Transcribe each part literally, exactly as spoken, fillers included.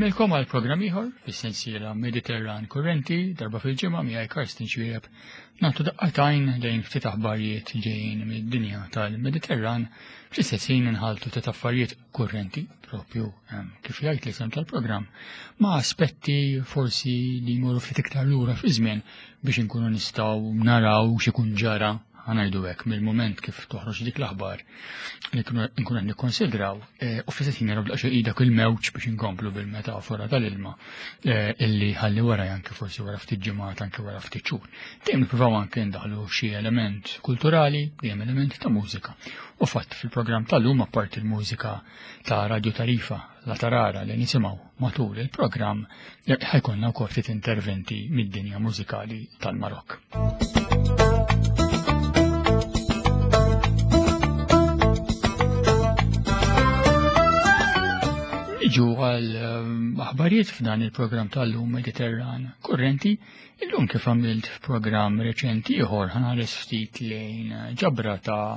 Insellmilkom għal programm ieħor fis-sensiela Mediterran Kurrenti darba fil-ġimgħa miegħi Karsten Xwieb nagħtu daqqatajn lejn ftit aħbarijiet ġejjin mid-dinja tal-Mediterran fl-istess ħin inħaltu ftit affarijiet kurrenti propju kif jgħid l-isem tal-programm ma' aspetti forsi li jmorru ftit iktar lura fi żmien biex inkunu nistgħu naraw x'ikun ġara ħanajdu hekk mill-moment kif toħroġ dik l-aħbar li nkunu qed nikkonsidraw eh, u fl-istess ħin naraw daqsxejn dak il-mewġ biex inkomplu bil-metafora tal-ilma eh, illi ħalli wara anke forsi wara ftit ġimgħat anke wara ftit xhur. Dejjem nippruvaw anke ndaħlu xi element kulturali, dejjem element ta' mużika. U fatt fil-programm tal-lum apparti il-mużika ta' Radio Tarifa La Tarara li nisimgħu matul il-programm eh, ħajkonna wkoll ftit interventi mid-dinja mużikali tal-Marokk. Niġu għal ehm, aħbarijiet f'dan il-programm tal-lum Mediterran Kurrenti, illum kif għamilt f'programm reċenti ieħor ħanħares ftit lejn ġabra ta'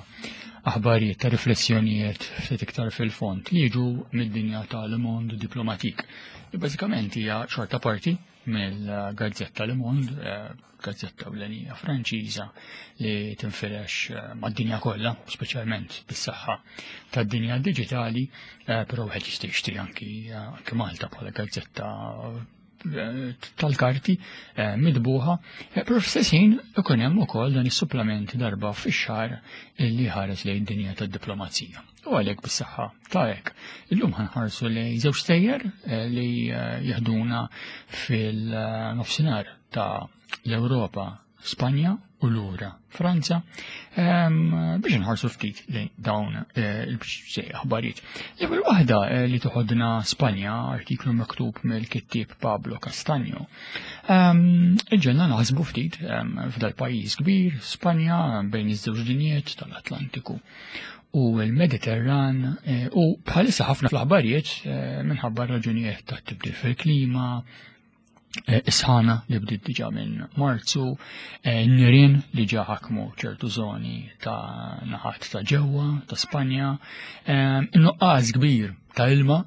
aħbarijiet ta' riflessjonijiet ftit iktar fil-fond li jiġu mid-dinja tal Monde Diplomatique. Li bażikament hija xorta parti mill-gazzetta Le Monde, eh, gazzetta ewlenija Franċiża li tinfirex eh, mad-dinja kollha, speċjalment bis-saħħa tad-dinja diġitali, eh, però wieħed jista' jixtri anki anki Malta bħala gazzetta tal-karti midbuħa, però fl-istess ħin ikun hemm ukoll dan is-supplement darba fix-xahar illi ħares lejn dinja tad-diplomazija. U għalhekk bis-saħħa ta' hekk. Illum ħanħarsu lejn żewġ stejjer li jeħduna fil-nofsinhar ta' l-Ewropa, Spanja u lura Franza, biex nħarsu ftit lejn dawn il-xej aħbarijiet. L-ewwel waħda li toħodna Spanja, artiklu miktub mill-kittieb Pablo Castaño. Iġġelna naħsbu ftit f'dal pajjiż kbir, Spanja, bejn iż-żewġ dinjiet tal-Atlantiku u l-Mediterran, u bħalissa ħafna fl-aħbarijiet minħabba raġunijiet ta' tibdil fil-klima, isħana li bdiet diġà minn Marzu, nirien li ġa ħakmu ċertu zoni ta' naħat ta' ġewwa ta' Spanja, in-nuqqas kbir ta' ilma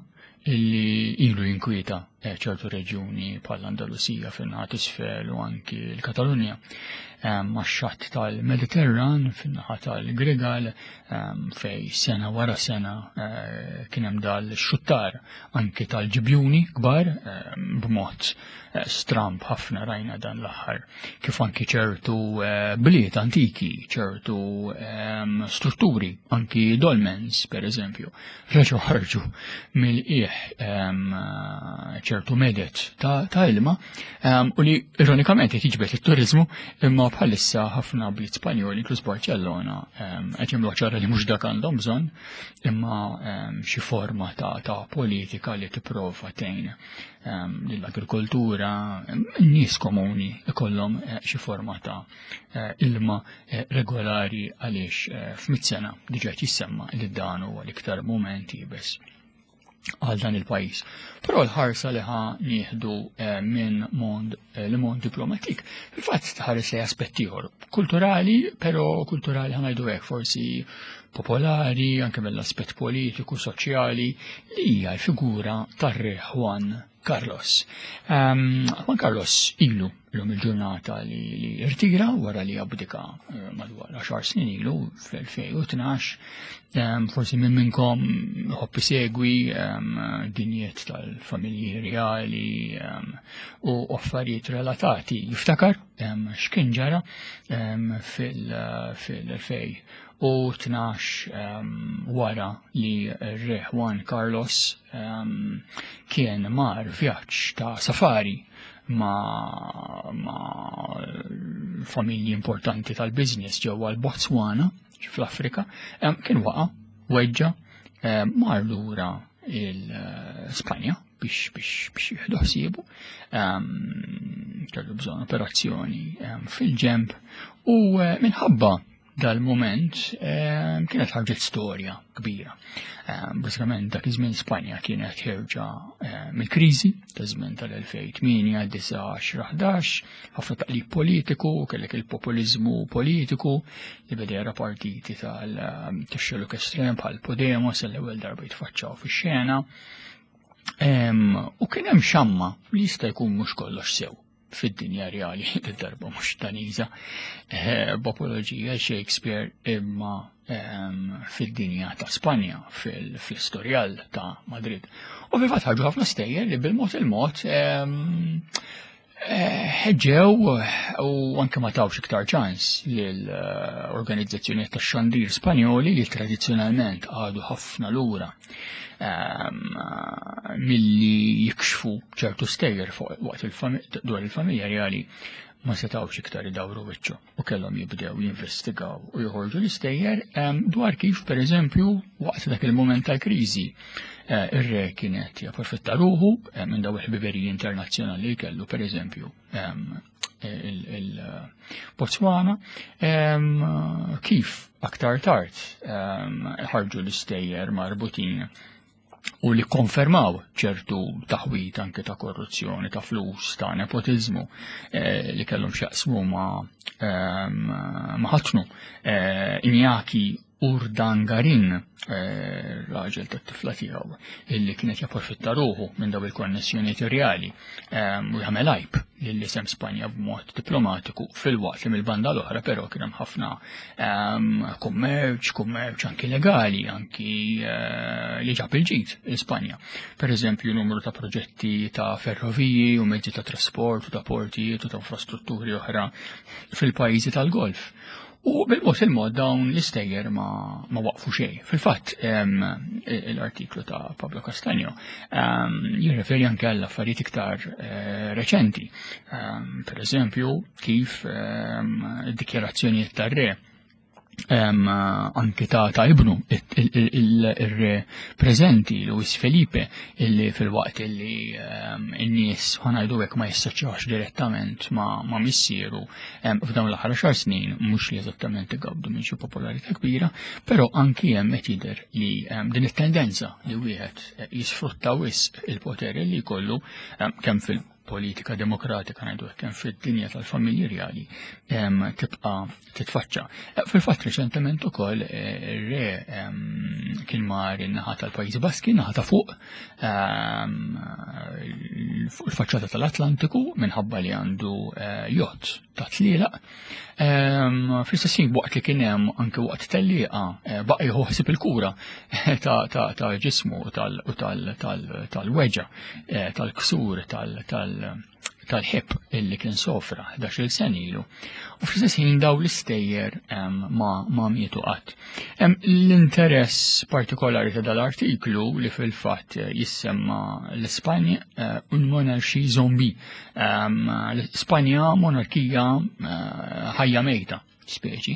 illi ilu jinkwieta ċertu reġjuni bħal Andalusija fin-naħat isfel u anki l-Katalunja, max-xatt tal-Mediterran fin-naħa tal-Grigal fej sena wara sena kien hemm dal-xuttar anki tal-ġibjuni kbar b'mod stramb ħafna rajna dan l-aħħar, kif anki ċertu bliet antiki, ċertu strutturi, anki dolmens per eżempju, reġgħu ħarġu mill-qiegħ ċertu medet ta' ilma u li ironikament qed jiġbed it-turizmu, imma bħalissa ħafna bliet Spanjoli, inkluż Barcellona, qed jagħmlu ċara li mhux dak għandhom bżonn, imma xi forma ta' politika li tipprova tgħin lill-agrikoltura, n-nies komuni ikollhom xi forma ta' ilma regolari għaliex f'mitt sena diġà qed jissemma li dan huwa l-iktar mument iebes għal dan il-pajjiż. Però l-ħarsa li ħa nieħdu minn mond Le Monde Diplomatique, fil-fatt tħares lejn aspett ieħor kulturali, però kulturali ħa ngħidu hekk forsi popolari, anke mill-aspett politiku, soċjali, li hija l-figura tar-re Juan Carlos. Juan Carlos ilu l-lum il-ġurnata li irtira wara li abdika madwar għaxar snin ilu fl-elfejn u tnax. Forsi minn minnkom ħobb isegwi dinjiet tal-familji reali u affarijiet relatati. Jiftakar x'kien ġara fil-elfejn u tnax wara li r-re Juan Carlos kien mar vjaġġ ta' safari ma', ma familji importanti tal-biznis ġewwa l-Botswana fl-Afrika, kien waqa' weġġa, mar lura il-Spanja biex, biex, biex jieħdu ħsiebu, kellu bżonn operazzjoni fil-ġemb u minħabba dal-moment kienet ħarġet storja kbira. Bażikament dak iż-żmien Spanja kienet ħerġa mill-kriżi ta' żmien tal-elfejn tmienja, disa', għaxra, ħdax, ħafna taqlib politiku, kellek il-populiżmu politiku li beda jara partiti tal-xelluk estrem bħal Podemos l-ewwel darba jitfaċċaw fix-xena. U kien hemm xamma li jista' jkun mhux kollox sew fid-dinja reali, darba mhux Daniża, eh, b'apoloġija Shakespeare, imma fid-dinja ta' Spanja, fil-istorjal ta' Madrid. U fil-fatt ħarġu ħafna stejjer li bil-mod il-mod eh, ħeġġew u anke ma tawx iktar ċans lill-organizzazzjonijiet tax-xandir Spanjoli li tradizzjonalment għadu ħafna lura milli jikxfu ċertu stejjer waqt dwar il-familja reali. Ma setawx iktar idawru wiċċu u kellhom jibdew jinvestigaw u joħorġu l-istejjer dwar kif, per eżempju, waqt dak il-moment tal-kriżi eh, ir-re kienet japprofitta ruħu eh, minn daw il-ħbiberiji internazzjonali li kellu, per eżempju il-Botswana, kif aktar tard ħarġu l-istejjer marbutin u li konfermaw ċertu taħwit anke ta' korruzzjoni, ta' flus, ta' nepotizmu eh, li kellhom x'jaqsmu ma' ma' ħatnu eh, Iñaki Urdangarin, eh, raġel ta' tifla tiegħu, illi kienet japprofitta ruħu minn daw il-konnessjonijiet reali u jagħmel għajb lil isem Spanja b'mod diplomatiku, filwaqt li mill-banda l-oħra però kien hemm ħafna kummerċ, kummerċ anki legali, anki eh, li ġab il-ġid l-Ispanja. Per eżempju, numru ta' proġetti ta' ferroviji u mezzi ta' trasport u ta' portijiet u ta' infrastrutturi oħra fil-pajjiżi tal-Golf. U bil-mod il-mod dawn l-istejjer ma, ma waqfu xejn. Fil-fatt, l-artiklu ta' Pablo Castaño jirreferi anke għall affarijiet iktar eh, reċenti. Per eżempju, kif id-dikjarazzjonijiet tar-re, anki ta' ta' ibnu il-re preżenti Luis Felipe, illi filwaqt illi n-nies, ħa ngħidu hekk, ma jissoċjawx direttament ma' ma' missieru, f'dawn l-aħħar xar snin mhux li eżattament igawdu minn xi popolarità kbira, però anki hemm qed jidher li din it-tendenza li wieħed jisfrutta wisq il-poter li jkollu, kemm fil politika demokratika, ngħidu, kemm fid-dinja tal-familji reali, tibqa' titfaċċa. Eh, fil-fatt reċentement ukoll eh, ir-re kien mar in-naħa tal-Pajjiżi Baski, naħa ta' fuq fuq il-faċċata tal-Atlantiku minħabba li għandu eh, jott ta' tlielaq. Fl-istess waqt li kien hemm anke waqt tellieqa baqa' jieħu ħsieb il-kura ta' ġismu u tal-weġa tal-ksur tal-ħib illi kien sofra ħdax-il sena ilu. U fl-istess ħin daw l-istejjer ma, ma mietu qatt. L-interess partikolari ta' dal-artiklu, li fil-fatt jissemma l-Ispanja eh, un monarchie zombie. L-Ispanja monarkija eh, ħajja mejta speċi,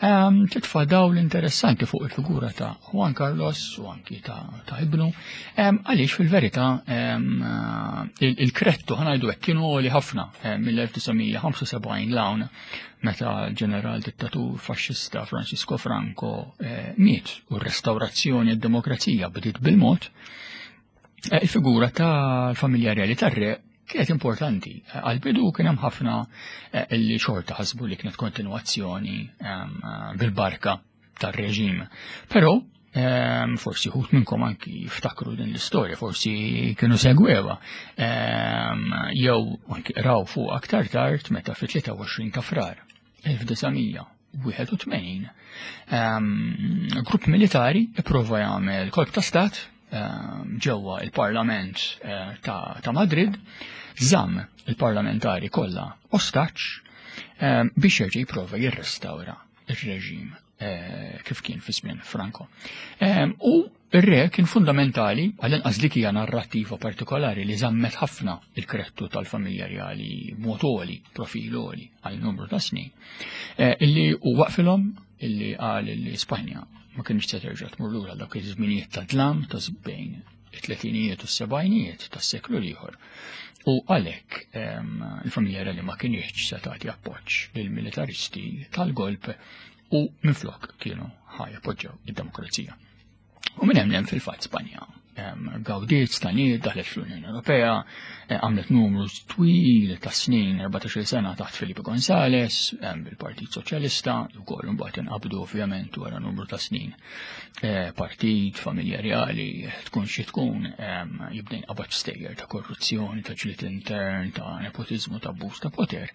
um, titfa' dawl interessanti fuq il-figura ta' Juan Carlos u anki ta', ta ibnu, um, għaliex fil-verità um, il-krettu, ħa ngħidu hekk, kienu għoli ħafna mill-elf disa' mija ħamsa u sebgħin 'l hawn, meta l-ġeneral dittatur faxxista Francisco Franco eh, miet u r-restaurazzjoni d-demokrazija bdiet bil-mod, eh, il-figura tal-familja reali tar-re kienet importanti. Għal-bidu kien hemm ħafna eh, li xorta ħasbu li kienet kontinuazzjoni ehm, bil-barka tar-reġim. Però ehm, forsi uħud minnkom anki jiftakru din l-istorja, forsi kienu segwewa, ehm, jew anki raw fuq aktar tard meta fit-tlieta u għoxrin ta' Frar elf disa' mija wieħed u tmenin grupp militari ipprova jagħmel kolp ta' stat ġewwa il-Parlament eh, ta', ta Madrid, żamm il-parlamentari kollha ostaġġ biex jerġa' jipprova jirrestawra ir-reġim eh, kif kien fi żmien Franco. U ir-re kien fundamentali, għall-inqas dik hija narrattiva partikolari li żammet ħafna il-krettu tal-familja reali mod għoli, profil għoli għal numru ta' snin, eh, illi u waqfilhom, illi qal illi Spanja ma kienx se terġa' tmur lura dak iż-żminijiet ta' dlam ta' bejn it-tletinijiet u s-sebgħinijiet tas-seklu l-ieħor. U għalhekk il-familja reali ma kienx se tagħti appoġġ lill-militaristi tal-golp u minflok kienu ħa jappoġġjaw id-demokrazija. U minn hemm fil-fatt Spanja Gawdiet, staniet, daħlet fl-Unjoni Ewropea, għamlet numru twil ta' snin, erbatax-il sena taħt Felipe González, bil-Partit Soċjalista, ukoll imbagħad inqabdu ovvjament wara numru ta' snin. Partit, familja reali, tkun xi tkun, jibda jinqabad stejjer ta' korruzzjoni, ta' ġlied intern, ta' nepotiżmu, ta' abbuż ta' poter.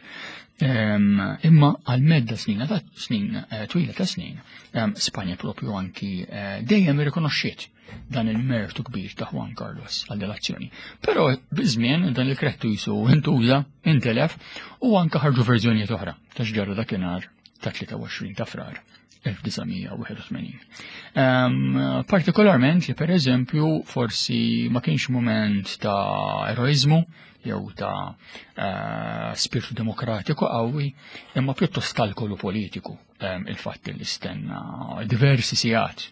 Imma għal medda snin ta' snin twila ta' snin, Spanja propju anki dejjem irrikonoxxiet dan il-mertu kbir ta' Juan Carlos għal delazzjoni. Però biż-żmien dan il-krettu jisu intuża, intelef u anka ħarġu verżjonijiet oħra ta' x'ġara dakinhar ta' tlieta u għoxrin ta' Frar elf disa' mija u wieħed u tmenin. Partikolarment li per eżempju forsi ma kienx moment ta' eroizmu jew ta' spiritu demokratiku qawwi, imma pjuttost kalkolu politiku, il-fatt li stenna diversi sigħat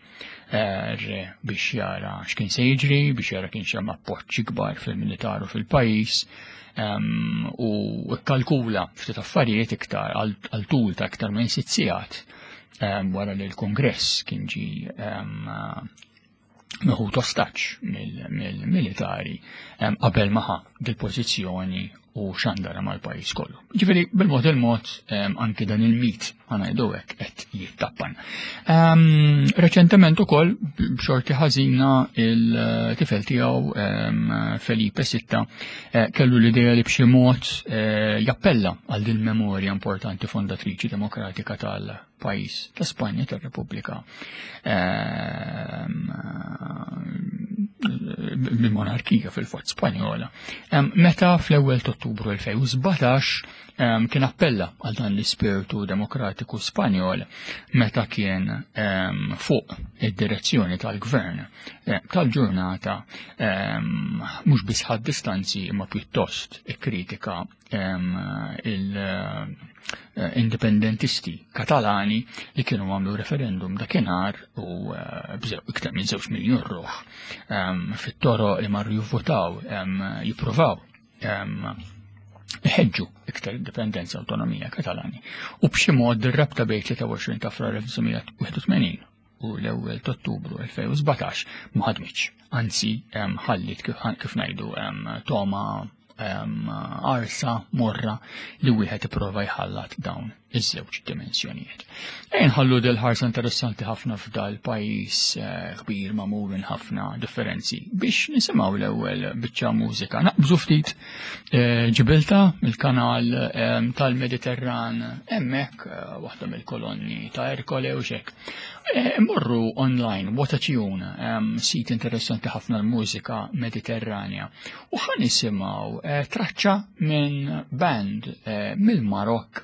re biex jara x'kien se jiġri, biex jara kienx hemm appoġġ ikbar fil-militar u fil-pajjiż, u kkalkula ftit affarijiet iktar għal tul ta' iktar minn sitt sigħat wara li l-Kongress kien ġi meħud ostaġġ mill-militari qabel ma ħa dil-pożizzjoni u xandara mal-pajjiż kollu. Ġifieri bil-mod il-mod anki dan il-mit ħanajdu hekk qed jittappan. Reċentement ukoll b'xorti ħażina il-tifel tiegħu Felipe sitta kellu l-idea li b'xi mod jappella għal din memorja importanti fondatriċi demokratika tal-pajjiż ta' Spanja tar-Repubblika bil-monarkija fil-fatt Spanjola. Meta fl-ewwel ta' Ottubru elfejn u sbatax kien appella għal dan l-ispirtu demokratiku Spanjol meta kien fuq id-direzzjoni tal-gvern tal-ġurnata mhux biss ħadd distanzi imma pjuttost ikkritika il-indipendentisti Katalani li kienu għamlu referendum dakinhar u iktar minn żewġ miljun ruħ fit-toroq li marru jivvotaw jippruvaw iħeġġu iktar indipendenza autonomija Katalani. U b'xi mod ir-rabta bejn tlieta u għoxrin ta' Frar elf disa' mija wieħed u tmenin u l-ewwel ta' Ottubru elfejn u sbatax ma ħadmitx. Anzi, ħallit kif ngħidu toma arsa morra li wieħed ipprova jħallat dawn iż-żewġ dimensjonijiet. Ejn ħallu del ħarsa interessanti ħafna f'dal pajjiż kbir magħmul minn ħafna differenzi biex nisimgħu l-ewwel biċċa mużika. Naqbżu ftit Ġibilta mill-kanal tal-Mediterran hemmhekk waħda mill-kolonni ta' Erkole u xek. Immorru online, What a Tune, sit interessanti ħafna l-mużika Mediterranja. U ħa nisimgħu traċċa minn band mill-Marokk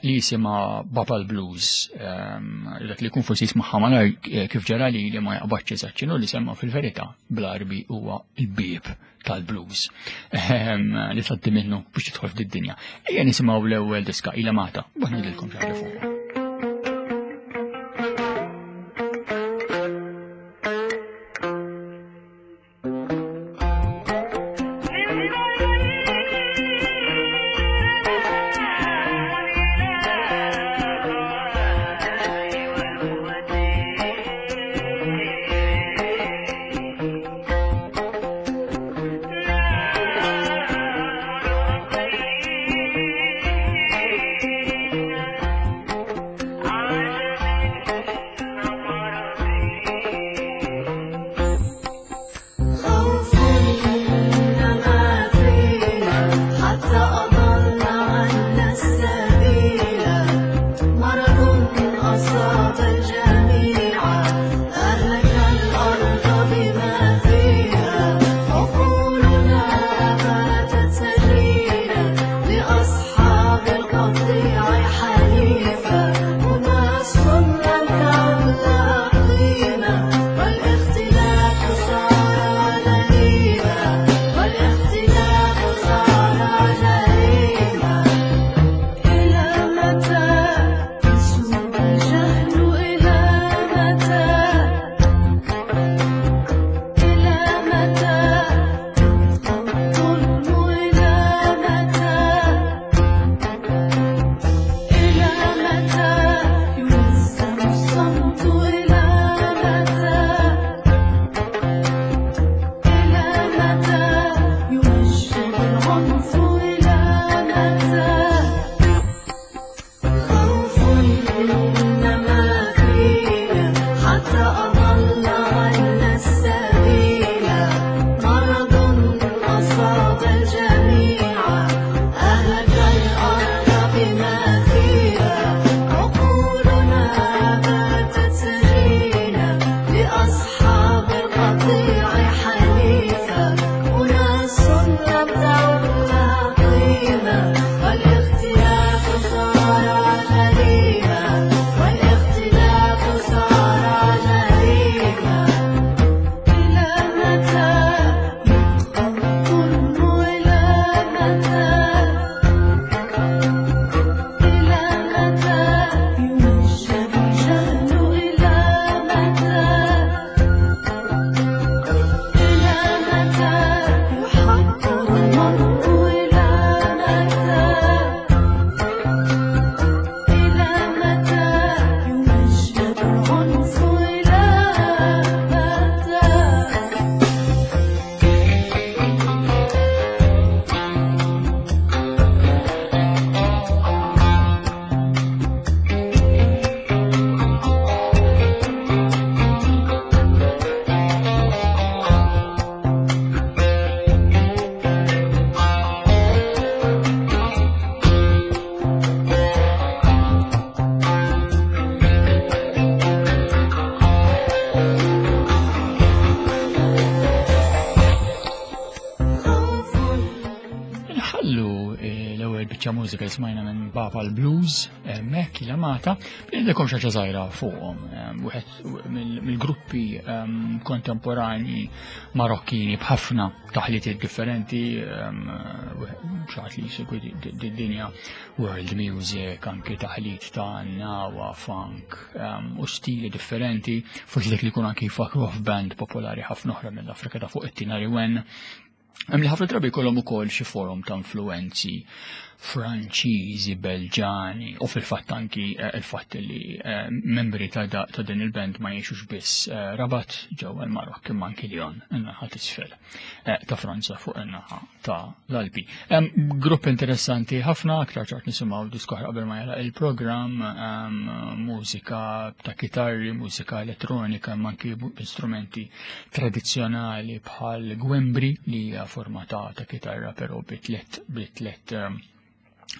li jisimha Babal Blues, dak li jkun forsi jismagħha malajr kif ġara li li ma jaqbadx eżatt x'inhu li semma fil-verità bl-Arbi huwa l-bieb tal-blues li tgħaddi minnu biex tidħol fid-dinja. Ejja nisimgħu l-ewwel diska ilha mata, u ngħidilkom xi ħaġa fuqha. والاختلاف صار جريمة. Biċċa mużika li smajna minn Bapal Blues, hemmhekk il-amata, ngħidilkom xi ħaġa żgħira fuqhom. Wieħed mill-gruppi kontemporani Marokkini b'ħafna taħlitiet differenti, xi ħadd li jsegwi dinja world music, anki taħlit ta' nawa, funk u stili differenti, forsi dak li jkun anki jfakruh f'band popolari ħafna oħra mill-Afrika ta' fuq, it-Tinariwen. Hemm li ħafna drabi jkollhom ukoll xi forom ta' influenzi Franċiżi, Belġani u fil-fatt anki eh, il-fatt li eh, membri ta' ta' din il-band ma jgħixux biss eh, Rabat ġewwa l-Marokk imma anki Lyon, in-naħa t'isfel ta' Franza fuq in-naħa ta' l-Alpi. Grupp interessanti ħafna, aktar tard nisimgħu diska qabel ma jagħlaq il-programm, mużika ta' kitarri, mużika elettronika, imma anki strumenti tradizzjonali bħal gwembri, li hija forma ta' ta' kitarra però bi tliet bi tliet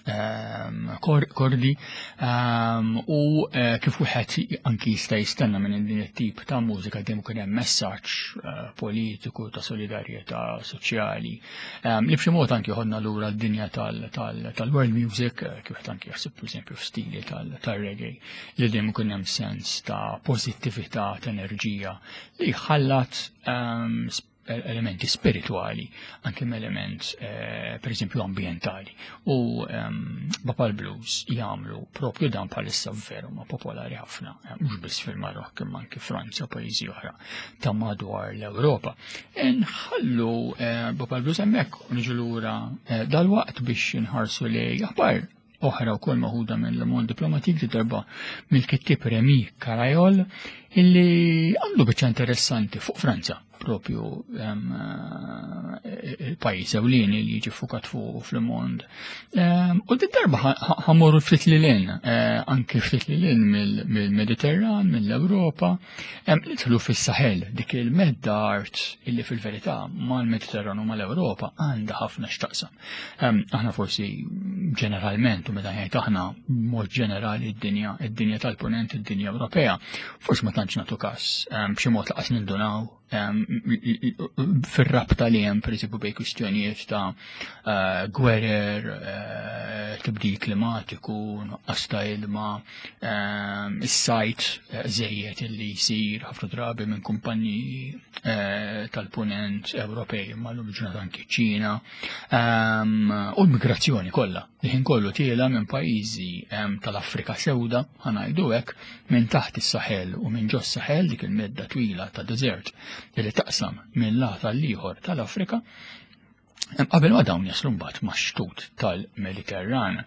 ehm, kordi ehm, u eh, kif wieħed anki jista' jistenna minn din it-tip ta' mużika, dejjem ikun hemm messaġġ eh, politiku ta' solidarjetà soċjali ehm, li b'xi mod anki joħodna lura d-dinja tal-world music, eh, kif wieħed anki jaħseb pereżempju f'stili tal-reggae, li dejjem ikun hemm sens ta' pożittività, ta' enerġija li ħallat elementi spirituali, anke element eh, per eżempju ambientali. U um, Bapal Blues jagħmlu propju dan bħalissa, veru ma popolari ħafna, eh, mhux biss fil-Marokk imma anke Franza u pajjiżi oħra ta' madwar l-Ewropa. Nħallu eh, Bapal Blues hemmhekk u niġu lura eh, dal-waqt biex nħarsu li aħbar oħra wkoll maħuda minn Le Monde Diplomatique, di darba mill-kittib Remy Carayol, illi għandu biċċa interessanti fuq Franza, propju eh, il-pajjiż ewlieni li jiġi fukat fuq f'Le Monde. U di darba ħa mmorru ftit lil hinn, eh, anke ftit lil hinn mill-Mediterran, mill-Ewropa, nidħlu fis-Sahel, dik il-medda art illi fil-verità mal-Mediterran u mal-Ewropa għandha ħafna x'taqsam. Aħna forsi ġeneralment, u meta ngħid aħna mod ġenerali id-dinja, id-dinja tal-punent, id-dinja Ewropea, forsi ma tantx nagħtu każ, b'xi mod lanqas nindunaw fir-rabta li hemm pereżempju bejn kwistjonijiet ta' eh, gwerer, eh, tibdil klimatiku, nuqqas ta' ilma, is-sajt eh, żejjed illi jsir ħafna drabi minn kumpaniji tal-punent Ewropej, ma l ġurnata anki Ċina, u l-migrazzjoni kollha li ħin kollu tiela minn pajjiżi tal-Afrika sewda, ħa ngħidu hekk, minn taħt is-Saħel u minn ġos Saħel, dik il-medda twila ta' desert li taqsam minn lat għall-ieħor tal-Afrika, qabel ma dawn jaslu mbagħad max-xtut tal-Mediterran.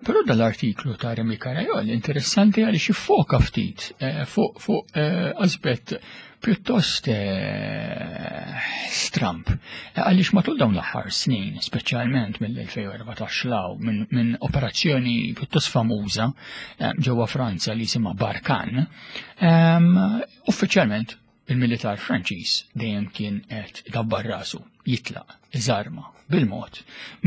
Però dal-artiklu ta' Remy Carayol interessanti għaliex jiffoka ftit eh, fuq fuq eh, aspett pjuttost eh, stramp. Għaliex matul dawn l-aħħar snin, speċjalment mill-elfejn u erbatax 'l hawn, minn min operazzjoni pjuttost famuża ġewwa Franza li jisimha Barkhane, uffiċjalment il-militar Franċiż dejjem kien qed idabbar rasu jitlaq, iżarma bil-mod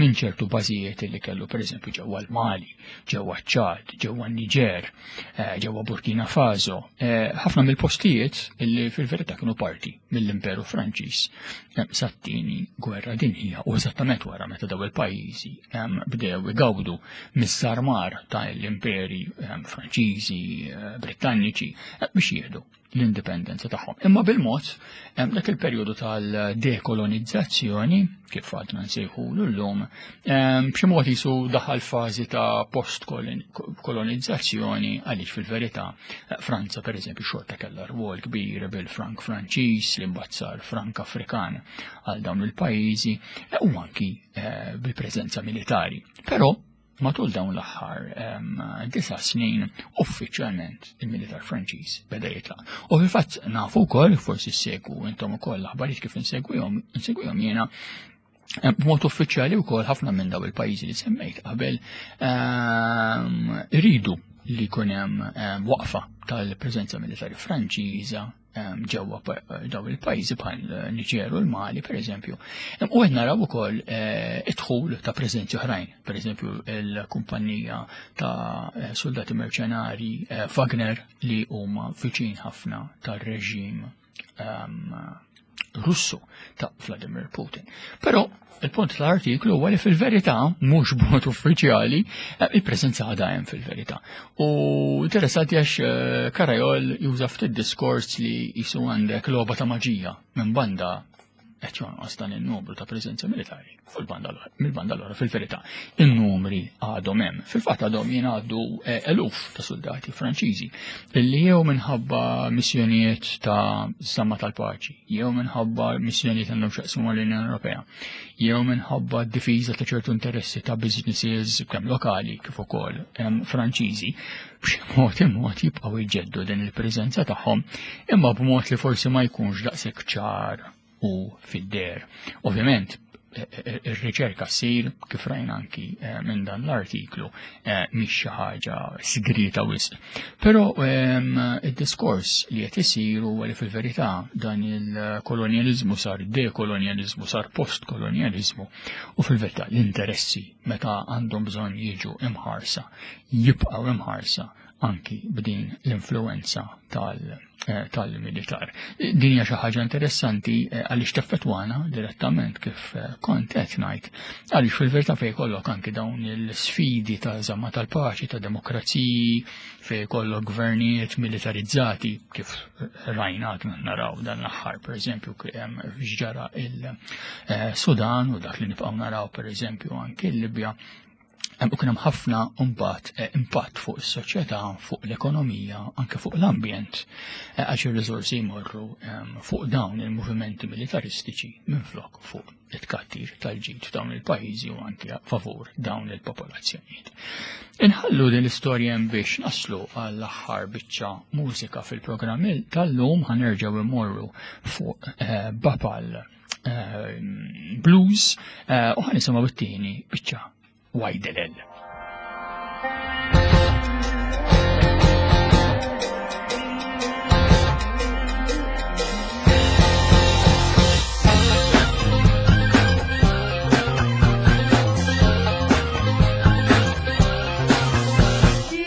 minn ċertu bażijiet li kellu pereżempju ġewwa l-Mali, ġewwa Ċad, ġewwa Niger, eh, ġewwa Burkina Faso, eh, ħafna mill-postijiet illi fil-verità kienu parti mill-Imperu Franċiż eh, sat-tieni gwerra dinjija u eżattament wara meta daw il-pajjiżi bdew igawdu mis-sarmar ta' l-imperi Franċiżi, Britanniċi biex jieħdu l-indipendenza tagħhom. Imma bil-mod dak il-perjodu tal-dekolonizzazzjoni, kif għadna nsejħulu llum, b'xi mod jisu daħal fażi ta' post-kolonizzazzjoni, għaliex fil-verità Franza pereżempju xorta kellha rwol kbir bil-frank Franċiż li mbagħad sar frank Afrikan għal dawn il-pajjiżi u anki eh, bil-preżenza militari. Però matul dawn l-aħħar disa' snin uffiċjalment il-militar Franċiż beda jitlaq. U fil-fatt nafu wkoll, forsi ssegwu intom ukoll l-aħbarijiet kif insegwihom insegwihom jiena, b'mod uffiċjali wkoll ħafna minn daw il-pajjiżi li semmejt qabel iridu li jkun hemm waqfa tal-preżenza militari Franċiża ġewwa daw il-pajjiżi bħal Niġer u l-Mali pereżempju. U qed naraw ukoll eh, id-dħul ta' preżenzi oħrajn, pereżempju il-kumpanija ta' eh, soldati merċenari eh, Wagner, li huma viċin ħafna tar-reġim Russu ta' Vladimir Putin. Però il-punt tal-artiklu huwa li fil-verità, mhux b'mod uffiċjali, eh, il-preżenza għadha hemm fil-verità. U interessanti għax eh, Carayol juża ftit diskors li jisu għandek logħba ta' maġija minn banda qed jonqos dan in-numru ta' preżenza militari fuq il-banda l-oħra, mill-banda l-oħra fil-verità in-numri għadhom hemm. Fil-fatt għadhom jingħaddu eh, eluf ta' soldati Franċiżi illi jew minħabba missjonijiet ta' żamma tal-paċi, jew minħabba missjonijiet għandhom x'jaqsmu mal-Unjoni Ewropea, jew minħabba d-difiża ta' ċertu interessi ta' businesses kemm lokali kif ukoll em, Franċiżi, b'xi mod imod jibqgħu jġeddu din il-preżenza tagħhom, imma b'mod li forsi ma jkunx daqshekk ċar u fid-der. Ovvjament, eh, eh, ir-riċerka ssir kif rajna anki eh, minn dan l-artiklu eh, mhix xi ħaġa sigrita wisq. Però ehm, id-diskors li qed isir huwa li fil-verità dan il-kolonjaliżmu sar dekolonjaliżmu, sar postkolonjaliżmu u fil-verità l-interessi meta għandhom bżonn jiġu imħarsa jibqgħu imħarsa anki b'din l-influenza tal- eh, tal-militar. Din hija xi ħaġa interessanti eh, għaliex teffettwana direttament kif eh, kont qed ngħid. Għaliex fil-verità fejn jkollok anki dawn il-sfidi ta' żamma tal-paċi, ta' demokraziji, fejn jkollok gvernijiet militarizzati kif rajna għadna naraw dan l-aħħar pereżempju x'ġara il-Sudan u dak li nibqgħu naraw pereżempju anki l-Libja. U kien hemm ħafna mbagħad eh, impatt fuq is-soċjetà, fuq l-ekonomija, anke fuq l-ambjent, eh, għax ir-riżorsi jmorru ehm, fuq dawn il-movimenti militaristiċi minflok fuq it-tkattir tal-ġid f'dawn il-pajjiżi u anke favur dawn il-popolazzjonijiet. Inħallu din l-istorja hemm biex naslu għall-aħħar biċċa mużika fil-programm tal-lum. Ħa nerġgħu immorru fuq eh, Bapal eh, Blues eh, u ħa nisimgħu it-tieni biċċa, Wajdelel.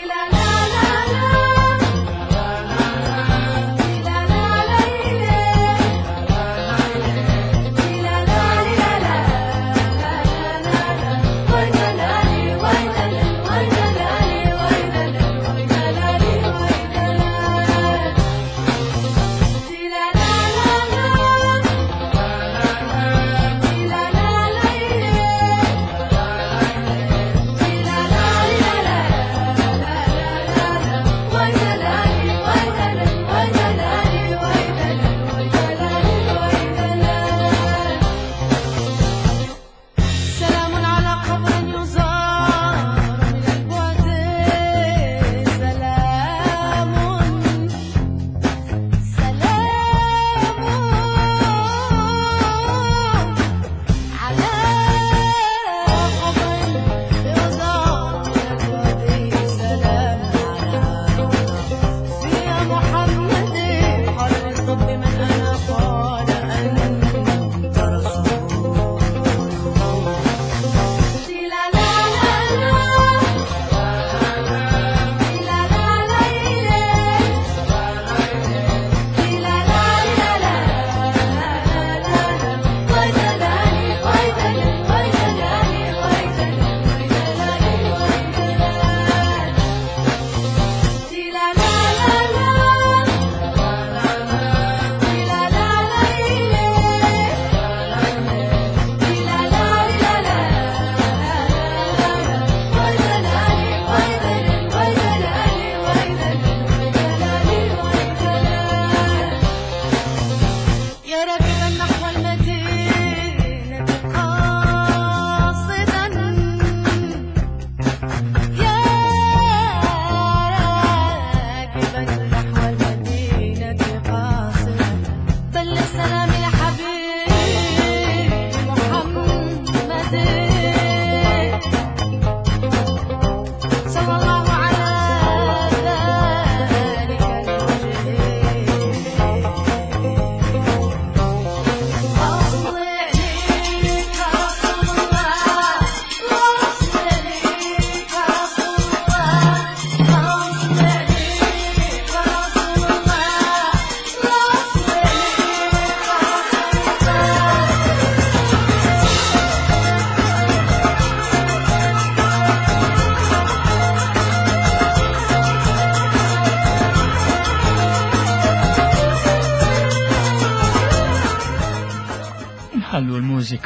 La la la la, la la la la la la la la la.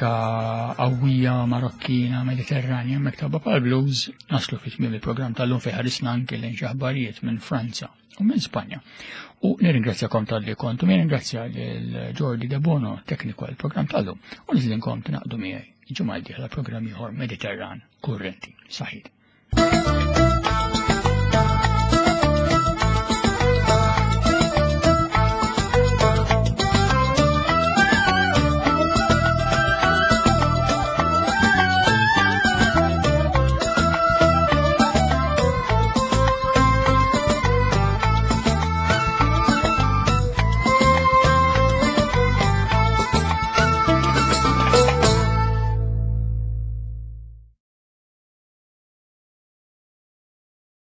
Mużika qawwija Marokkina, Mediterranja, mektaba pal blues, naslu fi tmiem il-programm tal-lum fejn ħarisna anke lejn xi aħbarijiet minn Franza u minn Spanja. U nirringrazzjakom talli kontu, nirringrazzja lil Jordi De Bono, tekniku għal-programm tal-lum, u nistedinkom tingħaqdu miegħi ġimgħa d-dieħla programm ieħor Mediterran Kurrenti. Saħħiet.